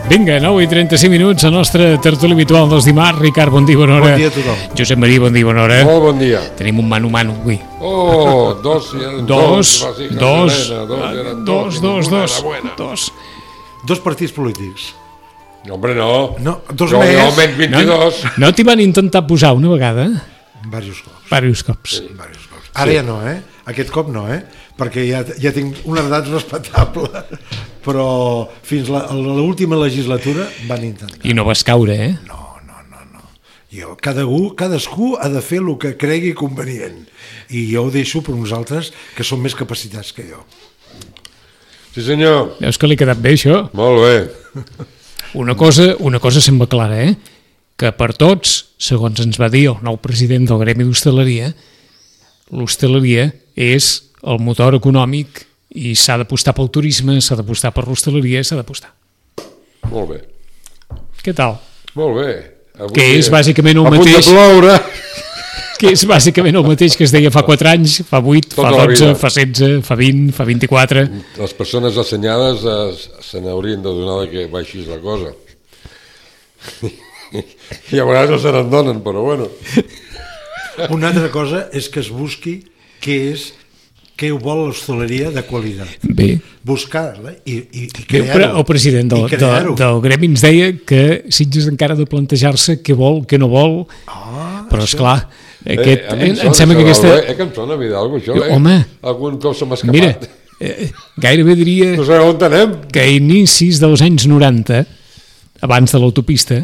Vinga, 9:35, la nostra tertúlia habitual dels dimarts. Ricard, bon dia, bona hora. Bon dia a tothom. Josep Maria, bon dia, bona hora. Molt bon dia. Tenim un mano-mano avui. Oh, dos. Dos partits polítics. Hombre, no. No, dos jo, més. Jo almenys 22. No t'hi van intentar posar una vegada? Diversos cops. Diversos cops. Sí. Ara ja no, Aquest cop no, perquè ja tinc una edat respectable, però fins a l'última legislatura van intentar. I no vas caure, No. Jo, cadascú ha de fer el que cregui convenient, i jo ho deixo per uns altres que són més capacitats que jo. Sí, senyor. Veus que li ha quedat bé, això? Molt bé. Una cosa sembla clara, que per tots, segons ens va dir el nou president del Gremi d'Hostaleria, l'hostaleria és el motor econòmic i s'ha d'apostar pel turisme, s'ha d'apostar per l'hostaleria, s'ha d'apostar. Molt bé. Què tal? Molt bé. Avui que és bàsicament el mateix... mateix... A punt de ploure. Que és bàsicament el mateix que es deia fa 4 anys, fa 8, Tota fa 12, fa 16, fa 20, fa 24... Les persones assenyades se n'haurien de donar que baixis la cosa. I a vegades no se n'adonen, però bueno. Una altra cosa és que es busqui què vol l'hostaleria de qualitat. Bé. Buscar-la i crear-ho. El president del Gremi ens deia que Sitges encara ha de plantejar-se què vol, què no vol, però esclar, em sembla que aquesta... Que em sona Vidal, això, Home, algun cop se m'ha escapat. Mira, gairebé diria no sé on anem. Que a inicis dels anys 90, abans de l'autopista,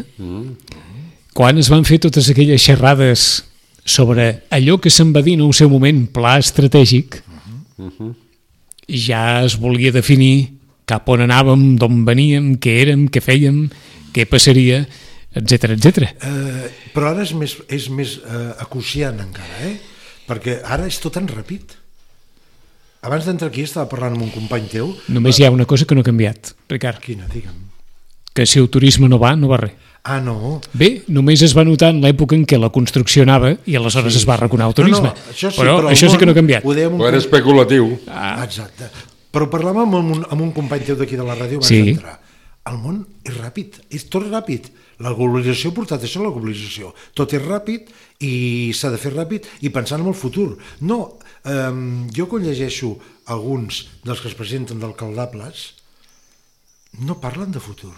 quan es van fer totes aquelles xerrades sobre allò que se'n va dir en el seu moment pla estratègic, ja es volia definir cap on anàvem, d'on veníem, què érem, què fèiem, què passaria, etc. Però ara és més acuciant encara, perquè ara és tot tan ràpid. Abans d'entrar aquí estava parlant amb un company teu. Només hi ha una cosa que no ha canviat, Ricard. Quina, digue'm. Que si el turisme no va res. Ah, no? Bé, només es va notar en l'època en què la construcció anava i aleshores es va arraconar el turisme. Però això sí que no ha canviat. Ho era especulatiu. Exacte. Però parlàvem amb un company teu d'aquí de la ràdio abans d'entrar. El món és ràpid, és tot ràpid. La globalització ha portat això, la globalització. Tot és ràpid i s'ha de fer ràpid i pensant en el futur. No, jo quan llegeixo alguns dels que es presenten d'alcaldables no parlen de futur.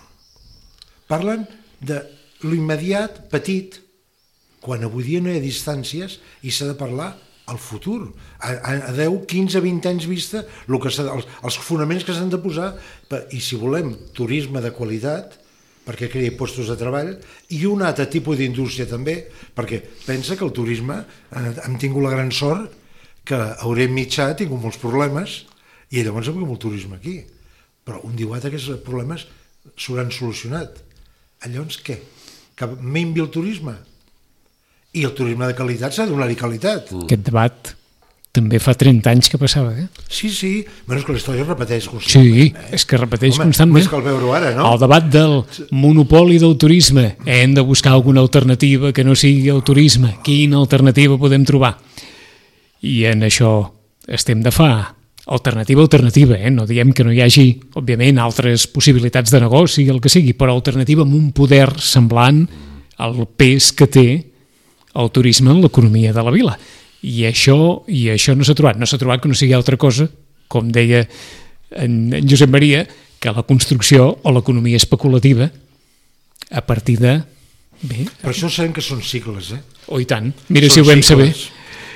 Parlen de l'immediat, petit, quan avui dia no hi ha distàncies i s'ha de parlar al futur, a 10, 15, 20 anys vista, els fonaments que s'han de posar, i si volem turisme de qualitat, perquè creï llocs de treball, i un altre tipus d'indústria també, perquè pensa que el turisme, hem tingut la gran sort que a Orient Mitjà ha tingut molts problemes, i llavors hem tingut molt turisme aquí, però un dia aquests problemes s'hauran solucionat. Llavors què? Que minvi el turisme? I el turisme de qualitat s'ha de donar-hi qualitat. Aquest debat també fa 30 anys que passava, Sí, bueno, és que la història es repeteix constantment. Sí, és que repeteix constantment. Més cal veure-ho ara, no? El debat del monopoli del turisme. Hem de buscar alguna alternativa que no sigui el turisme. Quina alternativa podem trobar? I en això estem de fa alternativa, no diem que no hi hagi, òbviament, altres possibilitats de negoci, el que sigui, però alternativa amb un poder semblant al pes que té el turisme en l'economia de la vila. I això no s'ha trobat. No s'ha trobat que no sigui altra cosa, com deia en Josep Maria, que la construcció o l'economia especulativa a partir de... Bé, per això sabem que són cicles, Oh, i tant. Mira si ho vam saber.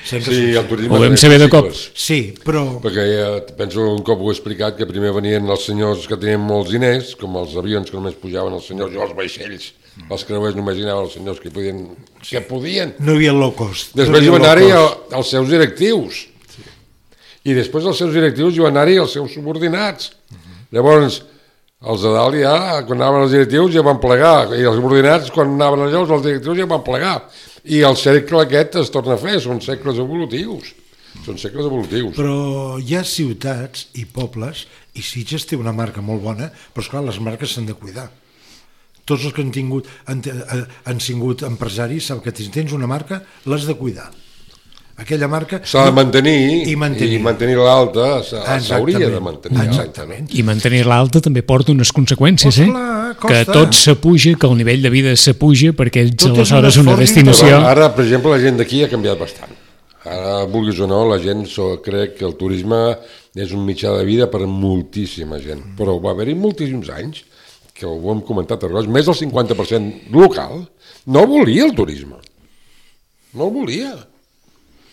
Sí, el turisme ho vam saber de cop. Sí, però... Perquè ja penso un cop ho he explicat, que primer venien els senyors que tenien molts diners, com els avions que només pujaven els senyors, i els vaixells, els creuers només hi anaven els senyors que podien. No hi havia low cost. Després hi van anar-hi els seus directius. I després els seus directius hi van anar-hi els seus subordinats. Llavors, els de dalt ja, quan anaven els directius ja van plegar, i els subordinats, quan anaven allò, els directius ja van plegar. I el cercle aquest es torna a fer, són segles evolutius. Però hi ha ciutats i pobles, i Sitges té una marca molt bona, però esclar, les marques s'han de cuidar. Tots els que han sigut empresaris saben que si tens una marca l'has de cuidar. Aquella marca... S'ha de mantenir i mantenir l'alta s'hauria de mantenir. Exactament. I mantenir-la alta també porta unes conseqüències, clar, que tot s'apuja, que el nivell de vida s'apuja perquè ets aleshores una destinació... Ara, per exemple, la gent d'aquí ha canviat bastant. Ara, vulguis o no, la gent crec que el turisme és un mitjà de vida per a moltíssima gent. Però va haver-hi moltíssims anys, que ho hem comentat a vegades, més del 50% local no volia el turisme. No el volia.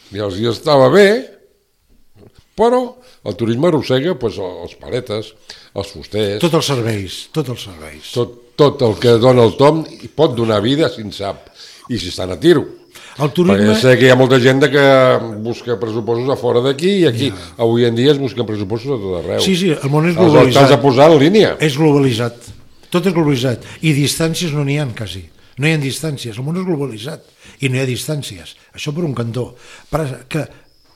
I els dies estava bé, però el turisme arrossega els paletes, els fusters... Tots els serveis. Tot el que dona el tom i pot donar vida si en sap, i si estan a tiro. El turisme... Perquè sé que hi ha molta gent que busca pressupostos a fora d'aquí i aquí. Avui en dia es busquen pressupostos a tot arreu. Sí, el món és globalitzat. Els has de posar en línia. És globalitzat. Tot és globalitzat. I distàncies no n'hi ha quasi. No hi ha distàncies, el món és globalitzat i no hi ha distàncies, això per un cantó. Que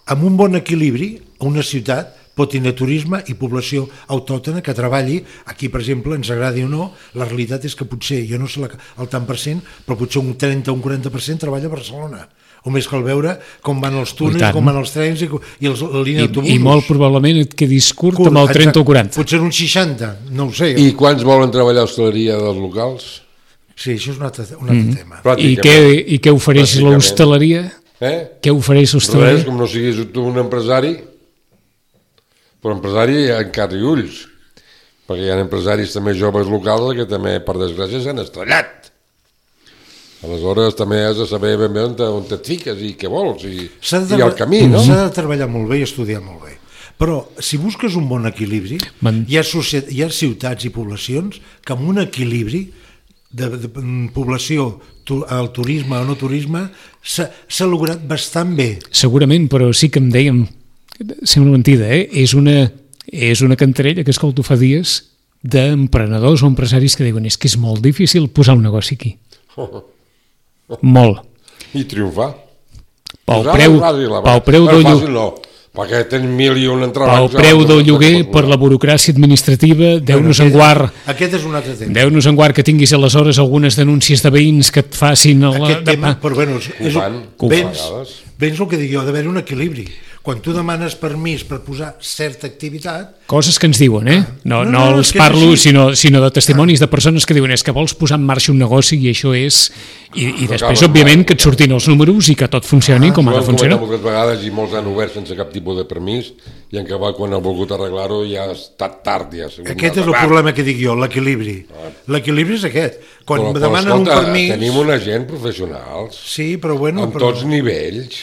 amb un bon equilibri una ciutat pot tenir turisme i població autòctona que treballi, aquí per exemple, ens agradi o no, la realitat és que potser, jo no sé el tant per cent, però potser un 30 o un 40% treballa a Barcelona. O més cal veure com van els túnels, com van els trens i la línia d'autobusos. I molt probablement et quedis curt amb el 30 o 40. Potser un 60, no ho sé. I quants volen treballar a hostaleria dels locals? Sí, això és un altre tema. I què ofereix l'hostaleria? Què ofereix l'hostaleria? Res, com no siguis tu un empresari, però empresari encara i ulls, perquè hi ha empresaris també joves locals que també, per desgràcia, s'han estrellat. Aleshores també has de saber ben bé on et fiques i què vols i el camí, no? S'ha de treballar molt bé i estudiar molt bé. Però si busques un bon equilibri, hi ha ciutats i poblacions que amb un equilibri de població, el turisme o no turisme, s'ha lograt bastant bé. Segurament, però sí que em dèiem, sembla mentida, és una cantarella que escolto fa dies d'emprenedors o empresaris que diuen és que és molt difícil posar un negoci aquí. Molt. I triomfar. Pel preu del lloguer. Perquè tens 1.000 entrebancs... Pel preu del lloguer, per la burocràcia administrativa, Déu-nos en guard... Aquest és un altre tema. Déu-nos en guard que tinguis aleshores algunes denúncies de veïns que et facin... Aquest tema, però bueno, vens el que dic jo, ha d'haver un equilibri. Quan tu demanes permís per posar certa activitat... Coses que ens diuen, no els parlo, sinó de testimonis de persones que diuen és que vols posar en marxa un negoci i això és... I després, òbviament, que et surtin els números i que tot funcioni com ha de funcionar. Moltes vegades i molts han obert sense cap tipus de permís i en acabat quan han volgut arreglar-ho ja ha estat tard. Aquest és el problema que dic jo, l'equilibri. L'equilibri és aquest. Quan demanen un permís... Tenim una gent professionals. Sí, però bueno... Amb tots nivells.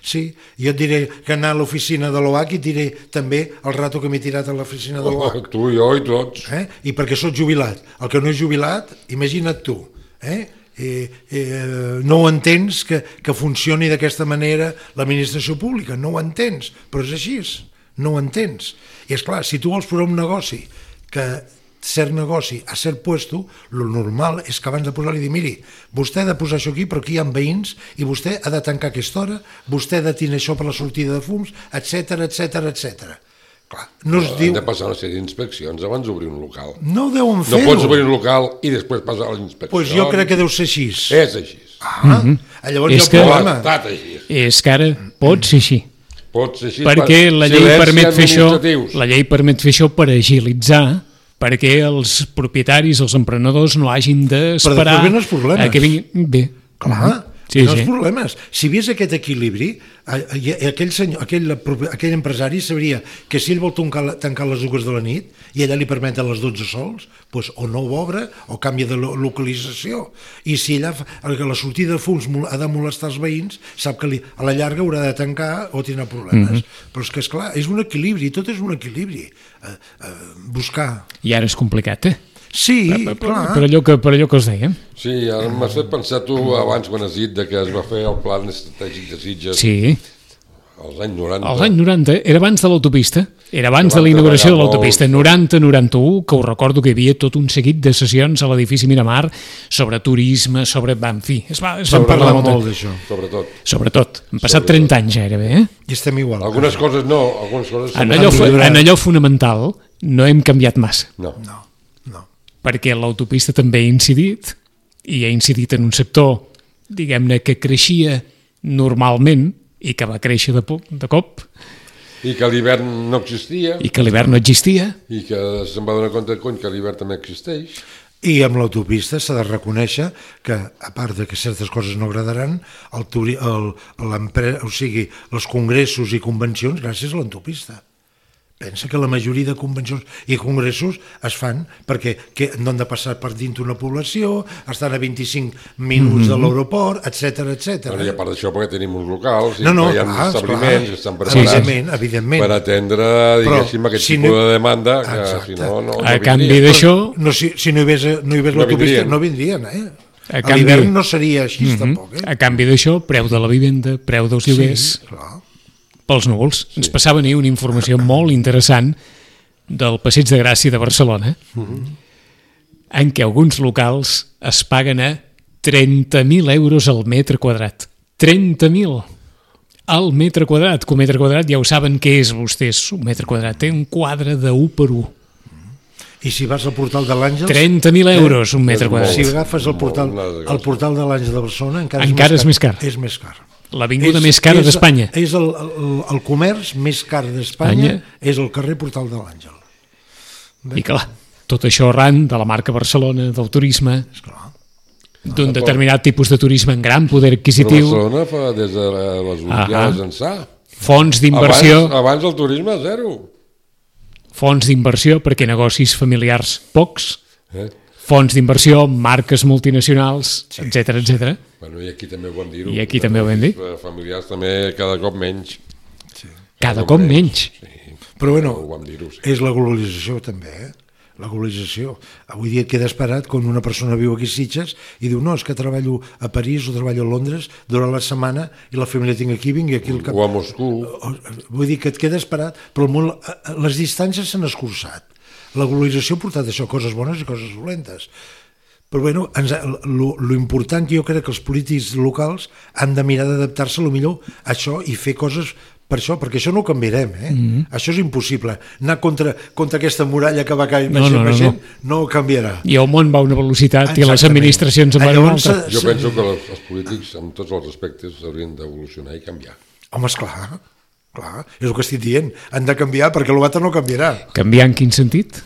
Sí, jo et diré que anar a l'oficina de l'OAC i et diré també el rato que m'he tirat a l'oficina de l'OAC. Tu, jo i tots. I perquè soc jubilat. El que no és jubilat, imagina't tu. No ho entens que funcioni d'aquesta manera l'administració pública, no ho entens, però és així, no ho entens. I és clar, si tu vols posar un negoci que cert negoci a cert puesto, el normal és que abans de posar-li dir, miri, vostè ha de posar això aquí, però aquí hi ha veïns i vostè ha de tancar aquesta hora, vostè ha de tenir això per la sortida de fums, etc. Clar, no es diu... Han de passar una sèrie d'inspeccions abans d'obrir un local. No deuen fer-ho. No pots obrir un local i després passar les inspeccions. Doncs jo crec que deu ser així. És així. Llavors hi ha un problema. És que ara pot ser així. Pot ser així perquè la llei permet fer això, la llei permet fer això per agilitzar, perquè els propietaris, els emprenedors no hagin d'esperar a que vinguin bé. Clar, els problemes. Si vies aquest equilibri, aquell empresari sabria que si ell vol tancar les 2 de la nit i allà li permeten les 12 sols, doncs o no ho obre o canvia de localització. I si allà la sortida de fums ha de molestar els veïns, sap que a la llarga haurà de tancar o tindrà problemes. Però és que, esclar, és un equilibri, tot és un equilibri. Buscar. I ara és complicat, Sí, clar. Per allò que us dèiem. Sí, ara m'has fet pensar tu abans quan has dit que es va fer el pla estratègic de Sitges. Sí. Als anys 90. Als anys 90, era abans de l'autopista, era abans de la inauguració de l'autopista, 90-91, que us recordo que hi havia tot un seguit de sessions a l'edifici Miramar sobre turisme, sobre... En fi, es van parlar molt d'això. Sobretot. Han passat 30 anys gairebé, I estem igual. Algunes coses no, algunes coses... En allò fonamental no hem canviat massa. No. Perquè l'autopista també ha incidit, i ha incidit en un sector, diguem-ne, que creixia normalment i que va créixer de cop. I que l'hivern no existia. I que l'hivern no existia. I que se'n va donar compte que l'hivern també existeix. I amb l'autopista s'ha de reconèixer que, a part de que certes coses no agradaran, els congressos i convencions gràcies a l'autopista. Pensa que la majoria de convencions i congressos es fan perquè no han de passar per dins una població, estan a 25 minuts de l'aeroport, etc. I a part d'això perquè tenim uns locals, hi ha establiments que estan preparats per atendre, diguéssim, aquest tipus de demanda, que si no a canvi d'això... Si no hi hagués l'autopista no vindrien, A l'hivern no seria així tampoc. A canvi d'això, preu de la vivenda, preu dels lloguers... pels núvols. Ens passaven ahir una informació molt interessant del Passeig de Gràcia de Barcelona, en què alguns locals es paguen a 30.000 euros al metre quadrat. 30.000 al metre quadrat, que un metre quadrat ja ho saben què és vostès, un metre quadrat, té un quadre de 1 per 1. I si vas al portal de l'Àngels... 30.000 euros un metre quadrat. Si agafes el portal de l'Àngels de Barcelona encara és més car. És més car. L'avinguda més cara d'Espanya. És el comerç més car d'Espanya, és el carrer Portal de l'Àngel. I clar, tot això arran de la marca Barcelona, del turisme, d'un determinat tipus de turisme en gran poder adquisitiu. Però Barcelona fa des de les Olimpiades ençà. Fons d'inversió. Abans el turisme zero. Fons d'inversió perquè negocis familiars pocs. Fons d'inversió, marques multinacionals, etc. Bueno, i aquí també ho vam dir-ho. I aquí també ho vam dir. Familiars també cada cop menys. Cada cop menys. Però bueno, és la globalització també, la globalització. Avui dia et quedes parat quan una persona viu aquí a Sitges i diu, no, és que treballo a París o treballo a Londres durant la setmana i la família tinc aquí, vingui aquí al cap. O a Moscou. Vull dir que et quedes parat, però les distàncies s'han escurçat. La globalització ha portat això, coses bones i coses dolentes. Però bueno, lo important que jo crec que els polítics locals han de mirar d'adaptar-se millor a això i fer coses per això, perquè això no ho canviarem, Això és impossible. Anar contra aquesta muralla que va caient no ho canviarà. I el món va a una velocitat i les administracions en van a una altra. Jo penso que els polítics, en tots els aspectes, haurien d'evolucionar i canviar. Home, esclar. Clar, és el que estic dient. Han de canviar perquè l'altre no canviarà. Canviar en quin sentit?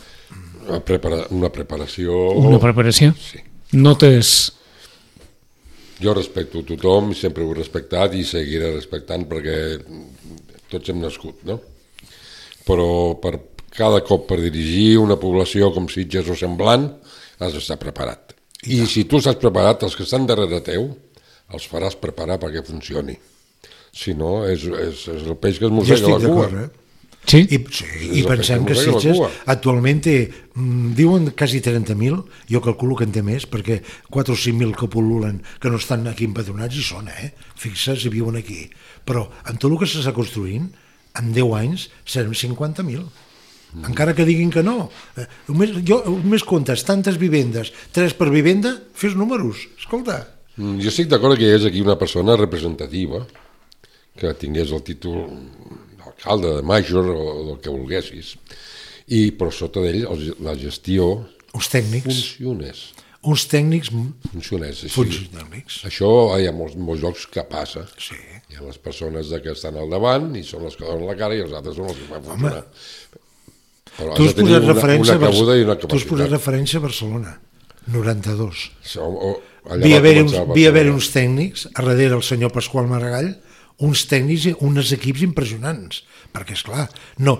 Una preparació... Una preparació? Sí. Notes... Jo respecto tothom, sempre ho he respectat i seguiré respectant perquè tots hem nascut, no? Però cada cop per dirigir una població com Sitges o semblant has d'estar preparat. I si tu estàs preparat, els que estan darrere teu els faràs preparar perquè funcioni. Si no, és el peix que es mossega la cua. Sí? I pensem que Sitges actualment té, diuen quasi 30.000, jo calculo que en té més, perquè 4 o 5.000 que pol·lulen, que no estan aquí empadronats i són, fixa't, i viuen aquí. Però amb tot el que s'està construint, en 10 anys serem 50.000. encara que diguin que no. Només comptes tantes vivendes, 3 per vivenda, fes números, escolta. Jo estic d'acord que hi és aquí una persona representativa que tingués el títol d'alcalde, de major o del que volguessis, i per sota d'ell la gestió Uns tècnics. funcionés. Funcionàmics. Això hi ha molts llocs que passa. Sí. Hi ha les persones que estan al davant i són les que donen la cara i els altres són els que fan funcionar. Però Tu has posat referència referència a Barcelona, 92. Hi Havia haver uns tècnics, a darrere el senyor Pasqual Maragall, uns tècnics i uns equips impressionants, perquè, esclar, no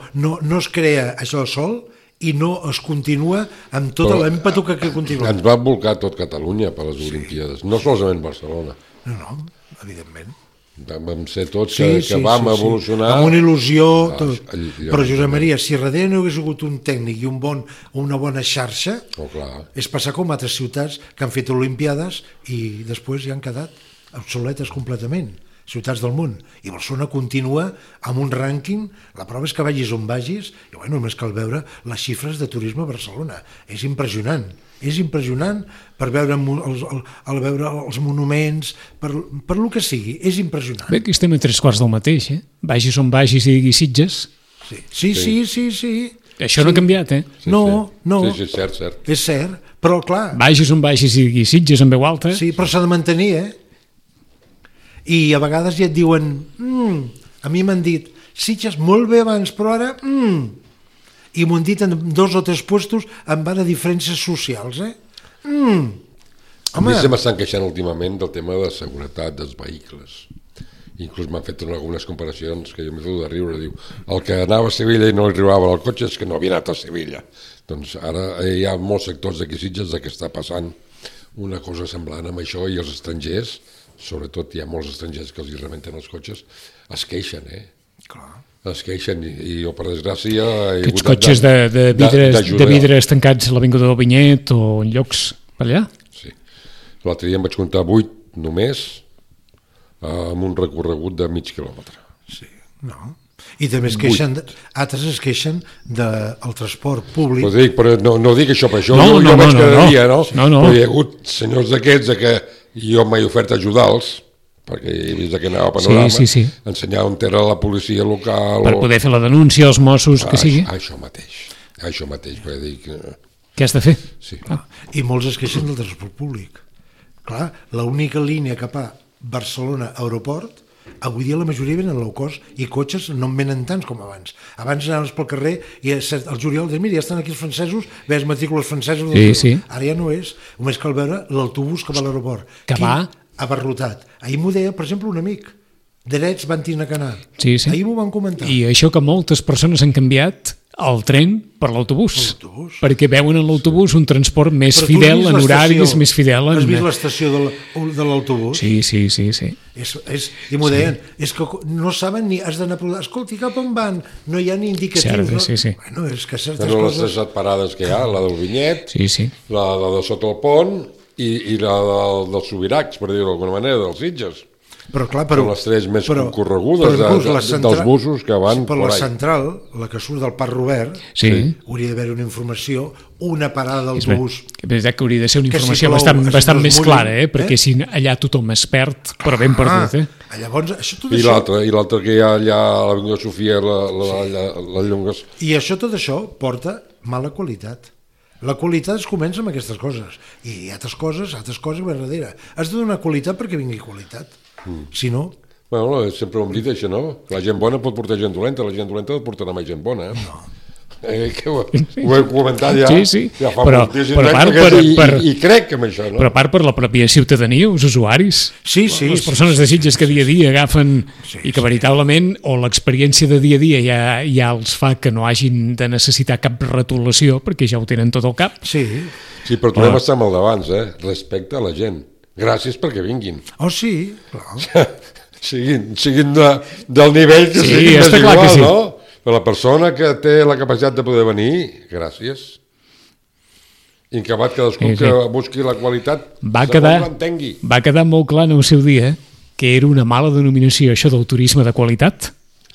es crea això sol i no es continua amb tot l'èmpetu que continua. Ens va volcar tot Catalunya per les Olimpíades, no solament Barcelona. No, evidentment. Vam ser tots que vam evolucionar. Amb una il·lusió, tot. Però, Josep Maria, si darrere no hagués hagut un tècnic i una bona xarxa, és passar com altres ciutats que han fet Olimpiades i després ja han quedat obsoletes completament, ciutats del món. I Barcelona continua amb un rànquing, la prova és que vagis on vagis, i bueno, només cal veure les xifres de turisme a Barcelona. És impressionant per veure els monuments, per lo que sigui, és impressionant. Bé, que estem a 3/4 del mateix, Vagis on vagis i diguis Sitges. Sí. Això no ha canviat, No. Sí, cert. És cert, però clar... Vagis on vagis i diguis Sitges en veu alta. Sí, però s'ha de mantenir, I a vegades ja et diuen, a mi m'han dit, Sitges molt bé abans, però ara, i m'ho han dit en 2 o 3 puestos en base a diferències socials, A mi se m'estan queixant últimament del tema de seguretat dels vehicles. Inclús m'han fet algunes comparacions que jo m'he fet de riure. Diu, el que anava a Sevilla i no li arribava al cotxe és que no havia anat a Sevilla. Doncs ara hi ha molts sectors d'aquí Sitges que està passant una cosa semblant amb això, i els estrangers, sobretot hi ha molts estrangers que els rebenten els cotxes, es queixen, Clar. Es queixen, i jo, per desgràcia... Aquests cotxes de vidres tancats a l'Avinguda del Vinyet o en llocs per allà? Sí. L'altre dia em vaig comptar 8 només amb un recorregut de mig quilòmetre. Sí, no. I també altres es queixen del transport públic. Però no dic això per això, jo vaig cada dia, no? Però hi ha hagut senyors d'aquests que jo m'he ofert ajudar-los, perquè he vist que anava a Panorama, ensenyar on era la policia local... Per poder fer la denúncia als Mossos, que sigui. Això mateix, perquè dic... Què has de fer? Sí. I molts es queixen del transport públic. Clar, l'única línia cap a Barcelona-Aeroport, avui dia la majoria venen low cost i cotxes no en venen tants com abans. Abans anaves pel carrer i el juliol dius, mira, ja estan aquí els francesos, veus matrícules francesos. Sí. Ara ja no és. Només cal veure l'autobús que va a l'aeroport. Que va? Abarrotat. Ahir m'ho deia, per exemple, un amic. Drets van tenir que anar. Sí. Ahir m'ho van comentar. I això que moltes persones han canviat el tren per l'autobús, perquè veuen en l'autobús un transport més fidel, en horaris més fidel. Has vist l'estació de l'autobús? Sí. I m'ho deien, és que no saben ni, has d'anar a provar, escolti, cap on van? No hi ha ni indicatius. Sí. Bueno, és que certes coses... Les 3 parades que hi ha, la del Vinyet, sí. la de sota el pont i la dels Subirats, per dir-ho d'alguna manera, dels Sitges. Però, clar, són les 3 més concorregudes dels busos que van per la central, la que surt del Parc Robert, hauria d'haver una informació, una parada d'autobús. És veritat que hauria de ser una informació bastant més clara, perquè si allà tothom es perd, però ben perdut. Llavors, tot això... I l'altre que hi ha allà a l'Avinguda Sofia, la Llongues. I tot això porta mala qualitat. La qualitat es comença amb aquestes coses. I altres coses per darrere. Has de donar qualitat perquè vingui qualitat. Si no... Bueno, sempre ho hem dit, això, no? La gent bona pot portar gent dolenta, la gent dolenta pot portar més gent bona, No. Que ho he comentat ja. Sí. Ja fa moltíssim temps, i crec que amb això, no? Però a part per la pròpia ciutadania, els usuaris, les persones de Sitges que dia a dia agafen i que veritablement, o l'experiència de dia a dia ja els fa que no hagin de necessitar cap retolació, perquè ja ho tenen tot al cap. Sí, però tornem a estar amb el d'abans, respecte a la gent. Gràcies perquè vinguin. Sí, clar. Siguin del nivell que siguin desigual, no? Però la persona que té la capacitat de poder venir, gràcies. I que cadascú que busqui la qualitat segons l'entengui. Va quedar molt clar en el seu dia que era una mala denominació això del turisme de qualitat.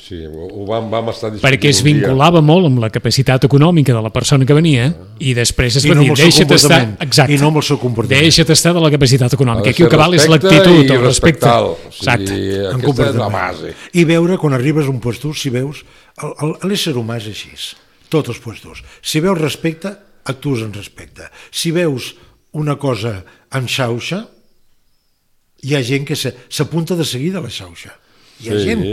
Sí, ho vam estar discutint perquè es vinculava molt amb la capacitat econòmica de la persona que venia i després es va dir, deixa't estar... Exacte, i no amb el seu comportament. Deixa't estar de la capacitat econòmica. Aquí el que val és l'actitud, el respecte. Exacte. Aquesta és la base. I veure, quan arribes a un puesto, si veus... L'ésser humà és així, tots els puestos. Si veus respecte, actues en respecte. Si veus una cosa en xauxa, hi ha gent que s'apunta de seguida a la xauxa. Hi ha gent,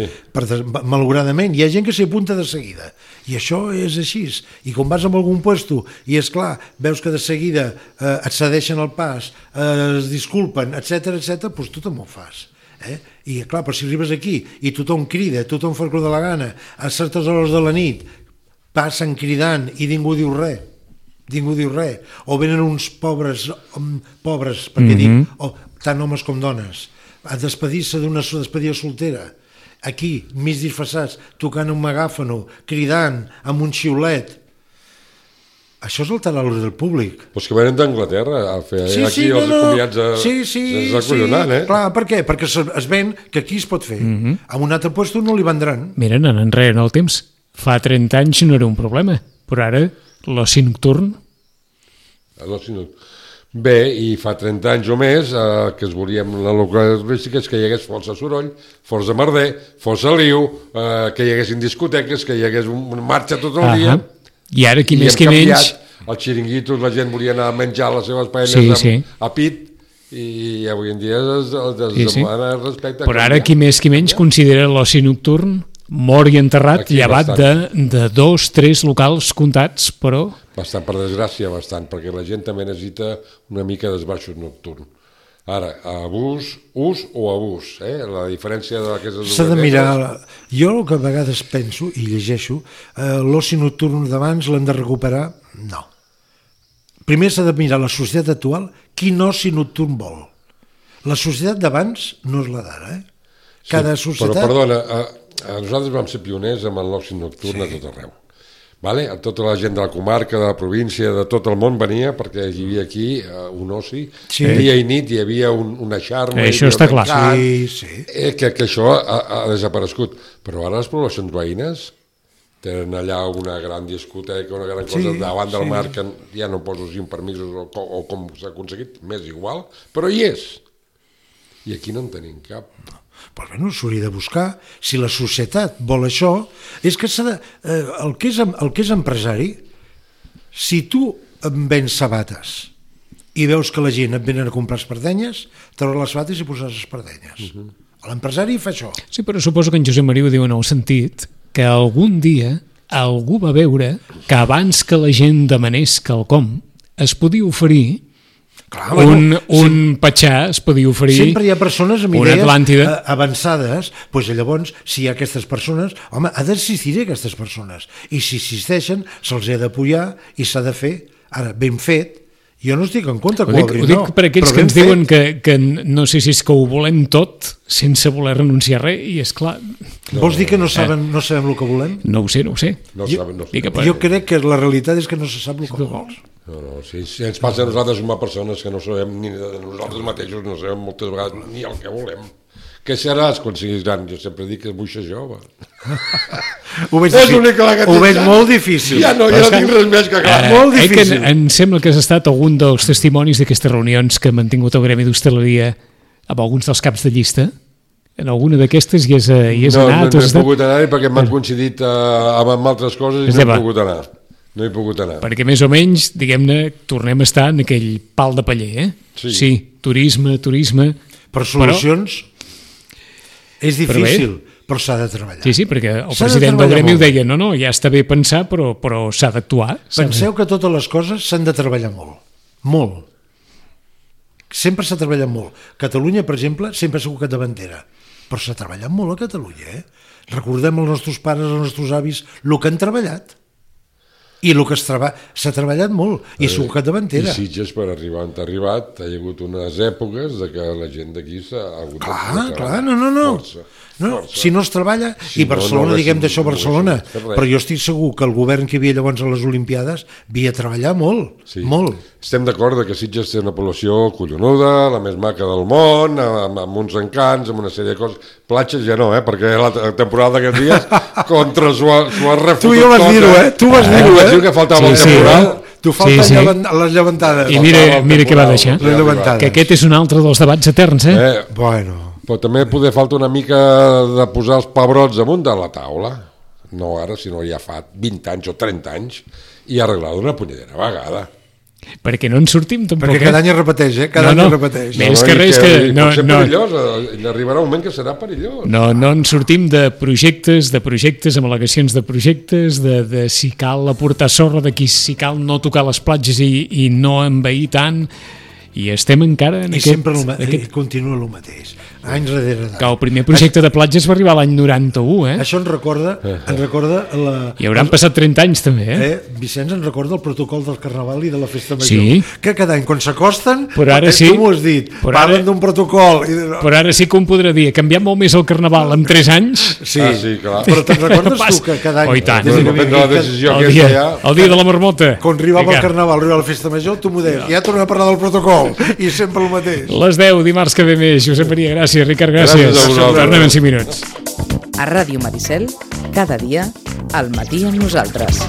malauradament, hi ha gent que s'hi apunta de seguida. I això és així. I quan vas a algun puesto i, és clar, veus que de seguida et cedeixen el pas, es disculpen, etc, doncs tu també ho fas. I, clar, però si arribes aquí i tothom crida, tothom fa el que de la gana, a certes hores de la nit passen cridant i ningú diu res. Ningú diu res. O venen uns pobres, perquè dic, tant homes com dones, a despedir-se d'una despedida soltera, aquí, mig disfressats, tocant un megàfono, cridant, amb un xiulet. Això és alterar l'ordre del públic. Doncs que venen d'Anglaterra a fer aquí els convidats sense acollonant, Clar, per què? Perquè es ven que aquí es pot fer. A un altre lloc no li vendran. Mira, anant enrere en el temps, fa 30 anys no era un problema, però ara l'oci nocturn... Bé, i fa 30 anys o més que es volia amb la localística és que hi hagués força soroll, força merder, força liu, que hi haguessin discoteques, que hi hagués una marxa tot el dia. I ara qui més qui menys... Els xiringuitos, la gent volia anar a menjar les seves paelles a pit, i avui en dia es demana respecte. Però ara qui més qui menys considera l'oci nocturn mort i enterrat, llevat de 2, 3 locals comptats, però... Bastant, per desgràcia, bastant, perquè la gent també necessita una mica d'esbarxos nocturn. Ara, ús o abús, la diferència d'aquestes dues... S'ha de mirar... Jo el que a vegades penso i llegeixo, l'oci nocturn d'abans l'hem de recuperar? No. Primer s'ha de mirar la societat actual, quin oci nocturn vol. La societat d'abans no és la d'ara, Cada societat... Però, perdona, nosaltres vam ser pioners amb l'oci nocturn a tot arreu. Vale? Tota la gent de la comarca, de la província, de tot el món venia perquè hi havia aquí un oci. Dia i nit hi havia una xarma. Això està clar. Que això ha desaparegut. Però ara les poblacions veïnes tenen allà una gran discoteca, una gran cosa davant del mar que ja no poso si amb permisos o com s'ha aconseguit, m'és igual, però hi és. I aquí no en tenim cap. Però bueno, s'hauria de buscar. Si la societat vol això, és que el que és empresari, si tu em vens sabates i veus que la gent et venen a comprar espardenyes, treuràs les sabates i posaràs espardenyes. L'empresari fa això. Sí, però suposo que en Josep Maria ho diu en el sentit que algun dia algú va veure que abans que la gent demanés quelcom es podia oferir un petxà, es podia oferir sempre hi ha persones amb idees avançades, doncs llavors si hi ha aquestes persones, home, ha d'existir aquestes persones, i si existeixen se'ls ha d'apoyar i s'ha de fer ara ben fet. Jo no estic en contra que ho obrin, ho dic per aquells que ens diuen que no sé si és que ho volem tot sense voler renunciar a res, i és clar... Vols dir que no sabem el que volem? No ho sé. Jo crec que la realitat és que no se sap el que vols. No, si ens passa a nosaltres com a persones que no sabem ni de nosaltres mateixos, no sabem moltes vegades ni el que volem. Què seràs quan siguis gran? Jo sempre dic que és buixa jove. Ho veig molt difícil. Ja no tinc res més que clar. Molt difícil. Em sembla que has estat algun dels testimonis d'aquestes reunions que ha mantingut el Gremi d'Hostaleria amb alguns dels caps de llista. En alguna d'aquestes hi has anat? No he pogut anar-hi perquè m'han coincidit amb altres coses i no he pogut anar. No he pogut anar. Perquè més o menys, diguem-ne, tornem a estar en aquell pal de paller, Sí, turisme... Per solucions és difícil, però s'ha de treballar. Sí, perquè el president del Gremi ho deia, no, ja està bé pensar, però s'ha d'actuar. Penseu que totes les coses s'han de treballar molt. Molt. Sempre s'ha treballat molt. Catalunya, per exemple, sempre ha sigut capdavantera, però s'ha treballat molt a Catalunya, Recordem els nostres pares, els nostres avis, el que han treballat. I el que s'ha treballat molt, i s'ho que davantera. I Sitges, per arribar on ha arribat, hi ha hagut unes èpoques de que la gent d'aquí s'ha hagut de Clar, no. Si no es treballa, i Barcelona, diguem d'això Barcelona, però jo estic segur que el govern que hi havia llavors a les Olimpiades havia de treballar molt. Estem d'acord que Sitges té una població collonuda, la més maca del món, amb uns encants, amb una sèrie de coses. Platges ja no, perquè la temporada d'aquests dies contra s'ho ha refutut. Tu ja vas dir-ho, Tu vas dir-ho, Diu que faltava el temporal. Tu falten les llevantades. I mira què va deixar. Que aquest és un altre dels debats eterns, Bueno... Però també poder falta una mica de posar els pebrots damunt de la taula, no ara, sinó ja fa 20 anys o 30 anys, i arreglar d'una punyedera vegada. Perquè no en sortim tampoc. Perquè cada any es repeteix, Cada any es repeteix. Més que res que... Pot ser perillós, arribarà un moment que serà perillós. No en sortim de projectes, amb al·legacions de projectes, de si cal aportar sorra, de si cal no tocar les platges i no envair tant... I estem encara en aquest... I sempre continua el mateix, anys darrere d'any. Que el primer projecte de platges va arribar l'any 91, Això ens recorda la... I hauran passat 30 anys, també, Vicenç, ens recorda el protocol del Carnaval i de la Festa Major. Que cada any, quan s'acosten, tu m'ho has dit, parlen d'un protocol... Però ara sí que ho podrà dir, ha canviat molt més el Carnaval en 3 anys. Sí, clar. Però te'n recordes tu que cada any... Oh, i tant. Depèn de la decisió el dia de la marmota. Quan arribava el Carnaval, arribava la Festa Major, tu m'ho deies, ja tornem a parlar del protocol. I sempre el mateix. Les 10, dimarts que ve més. Josep Maria, gràcies. Ricard, gràcies. Tornem en 5 minuts. A Ràdio Maricel, cada dia, al matí amb nosaltres.